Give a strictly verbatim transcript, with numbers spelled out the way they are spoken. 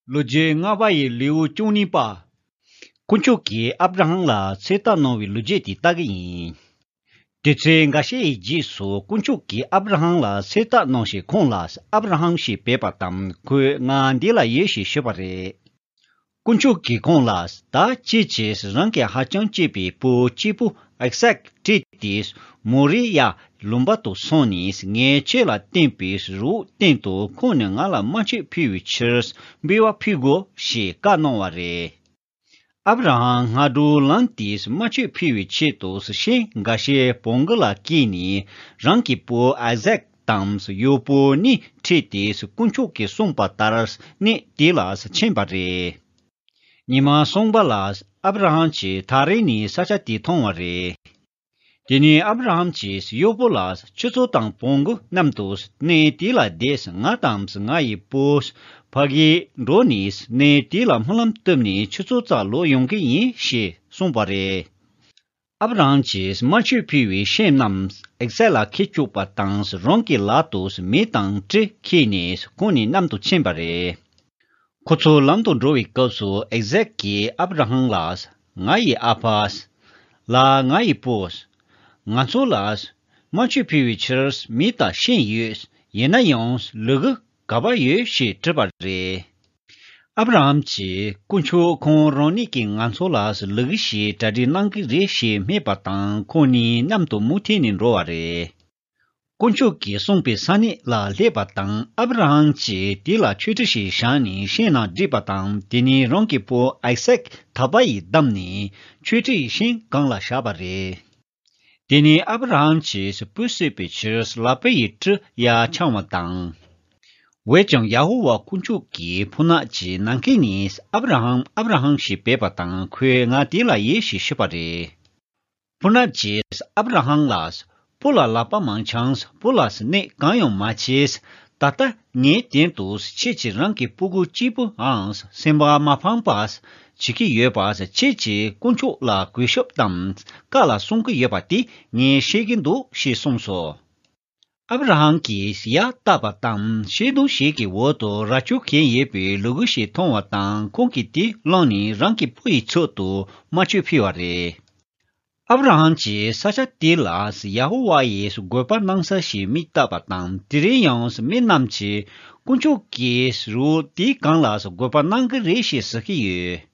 ལོ་རྒྱུས་ལྔ་པ་ཡི་ལེའུ་བཅུ་གཉིས་པ། དཀོན་མཆོག་གིས་ཨབ་ར་ཧམ་ལ་ཚོད་ལྟ་གནང་བའི་ལོ་རྒྱུས་དེ་ལྟ་གི་ཡིན། དུས་ཚོད་འགའ་ཤས་ཡི་རྗེས་སུ་དཀོན་མཆོག་གིས་ཨབ་ར་ཧམ་ལ་ཚོད་ལྟ་གནང་ཞིང་ཁོང་ལ་ཨབ་ར་ཧམ་ཞེས་འབོད་པ་དང་ཁོས་ང་འདི་ལ་ཡོད་ཞེས་ཞུས་པ་རེད། དཀོན་མཆོག་གིས་ཁོང་ལ་ད་ཁྱེད་ཀྱིས་རང་གི་ཧ་ཅང་གཅེས་པའི་བུ་གཅིག་པུ་ཨིག་སཱག་ཁྲིད་དེ་མོ་རི་ཡ་ལུང་པ་དུ་སོང་ནས་ངས་ཁྱེད་ལ་བསྟན་པའི་རི་བོ་སྟེང་དུ་ཁོང་ནས་ང་ལ་དམར་མཆོད་ཕུལ་བའི་ཕྱིར་འབུལ་བ་ཕུལ་དགོས་ཞེས་བཀའ་གནང་བ་རེད། ཨབ་ར་ཧམ་སྔ་དྲོ་ལངས་ཏེ་དམར་མཆོད་ཕུལ་བའི་ཆེད་དུ་ཤིང་འགའ་ཤས་བོང་གུ་ལ་བཀལ་ནས་རང་གི་བུ་ཨ་ཟག་དང་གཡོག་པོ་གཉིས་ཁྲིད་དེ་དཀོན་མཆོག་གིས་གསུངས་པ་ལྟར་གནས་དེ་ལ་ཕྱིན་པ་རེད། ཉི་མ་གསུམ་པ་ལ་ཨབ་ར་ཧམ་གྱིས་ཐག་རིང་ནས་ས་ཆ་དེ་མཐོང་བ་རེད། དེ་ནས་ཨབ་ར་ཧམ་གྱིས་གཡོག་པོ་ལ་ཁྱོད་ཚོ་དང་བོང་གུ་མཉམ་དུ་གནས་དེ་ལ་བསྡད། ང་དང་ང་ཡི་བུ་ཕ་གིར་འགྲོ་ནས་གནས་དེ་ལ་སྨོན་ལམ་བཏབ་ནས་ཁྱོད་ཚོ་རྩར་ལོག་ཡོང་གི་ཡིན་ཞེས་གསུངས་པ་རེད། ཨབ་ར་ཧམ་གྱིས་དམར་མཆོད་ཕུལ་བའི་ཤིང་རྣམས་ཨིག་སཱག་ལ་ཁྱེར་བཅུག་པ་དང་རང་གི་ལག་ཏུ་མེ་དང་གྲི་ཁྱེར་ནས་ཁོང་གཉིས་མཉམ་དུ་ཕྱིན་པ་རེད། ཁོ་ཚོ་ལམ་དུ་འགྲོ་བའི་སྐབས་སུ་ཨིག་སཱག་གིས་ཨབ་ར་ཧམ་ལ། ང་ཡི་ཨ་ཕ། ལ་ང་ཡི་བུ། ང་ཚོ་ལ་དམར་མཆོད་ཕུལ་བའི་ཕྱིར་མེ་དང་ཤིང་ཡོད། ཡིན་ན་ཡང་ལུ་གུ་ག་པར་ཡོད་ཞེས་དྲིས་པ་རེད། ཨབ་ར་ཧམ་གྱིས་དཀོན་མཆོག་ཁོང་རང་ཉིད་ཀྱིས་ང་ཚོ་ལ་ལུ་གུ་ཞིག་གྲ་སྒྲིག་གནང་གི་རེད་ཞེས་སྨྲས་པ་དང་ཁོང་གཉིས་མཉམ་དུ་མུ་མཐུད་ནས་འགྲོ་བ་རེད། དཀོན་མཆོག་གིས་གསུངས་པའི་ས་གནས་ལ་སླེབས་པ་དང་ཨབ་ར་ཧམ་གྱིས་དེ་ལ་མཆོད་ཁྲི་ཞིག་བཞེངས་ནས་ཤིང་ནང་བསྒྲིགས་པ་དང་དེ་ནས་རང་གི་བུ་ཨིག་སཱག་ཐག་པ་ཡིས་བསྡམས་ནས་མཆོད་ཁྲིའི་ཤིང་སྒང་ལ་བཞག་པ་རེད། དེ་ནས་ཨབ་ར་ཧམ་གྱིས་བུ་གསོད་པའི་ཕྱིར་ལག་པ་ཡི་གྲི་ཡར་འཆང་བ་དང་། འོན་ཀྱང་ཡ་ཧོ་ཝཱ་དཀོན་མཆོག་གིས་ཕོ་ཉ་གི་ནམ་མཁའ་ནས་ཨབ་ར་ཧམ་ཨབ་ར་ཧམ་ཞེས་འབོད་པ་དང་ཁོས་ང་དེ་ལ་ཡོད་ཞེས་ཞུས་པ་རེད། ཕོ་ཉ་གིས་ཨབ་ར་ཧམ་ལ། བུ་ལ་ལག་པ་མ་འཆང་། བུ་ལ་གནོད་གང་ཡང་མ་བྱེད། ད་ལྟ་ངའི་དོན་དུ་ཁྱེད་ཀྱིས་རང་གི་སྤུ་གུ་གཅིག་པུའང་སེམས་པ་མ་ཕངས་པ་བྱེད་ཀྱི་ཡོད་པ་ཁྱེད་ཀྱིས་དཀོན་མཆོག་ལ་གུས་ཞབས་དང་བཀའ་ལ་སྲུང་གི་ཡོད་པ་དེ་ངས་ཤེས་ཀྱི་འདུག་ཞེས་གསུངས་སོ། ཨབ་ར་ཧམ་གྱིས་ཡར་བལྟས་པ་དང་ཤིང་སྡོང་ཞིག་གི་འོག་ཏུ་རྭ་ཅོ་གྱོན་ཡོད་པའི་ལུ་གུ་ཞིག་མཐོང་བ་དང་ཁོང་གིས་དེ་བླངས་ནས་རང་གི་བུ་ཡི་ཚབ་ཏུ་དམར་མཆོད་ཕུལ་བ་རེད། ཨབ་ར་ཧམ་གྱིས་ས་ཆ་དེ་ལ་ཡ་ཧོ་ཝཱ་ཡིས་དགོས་པ་གནང་ས་ཞེས་མིང་བཏགས་པ་དང་དེ་རིང་ཡང་མི་རྣམས་ཀྱིས་དཀོན་མཆོག་གིས་རི་བོ་དེའི་སྒང་ལ་དགོས་པ་གནང་གི་རེད་ཞེས་ཟེར་གྱི་ཡོད།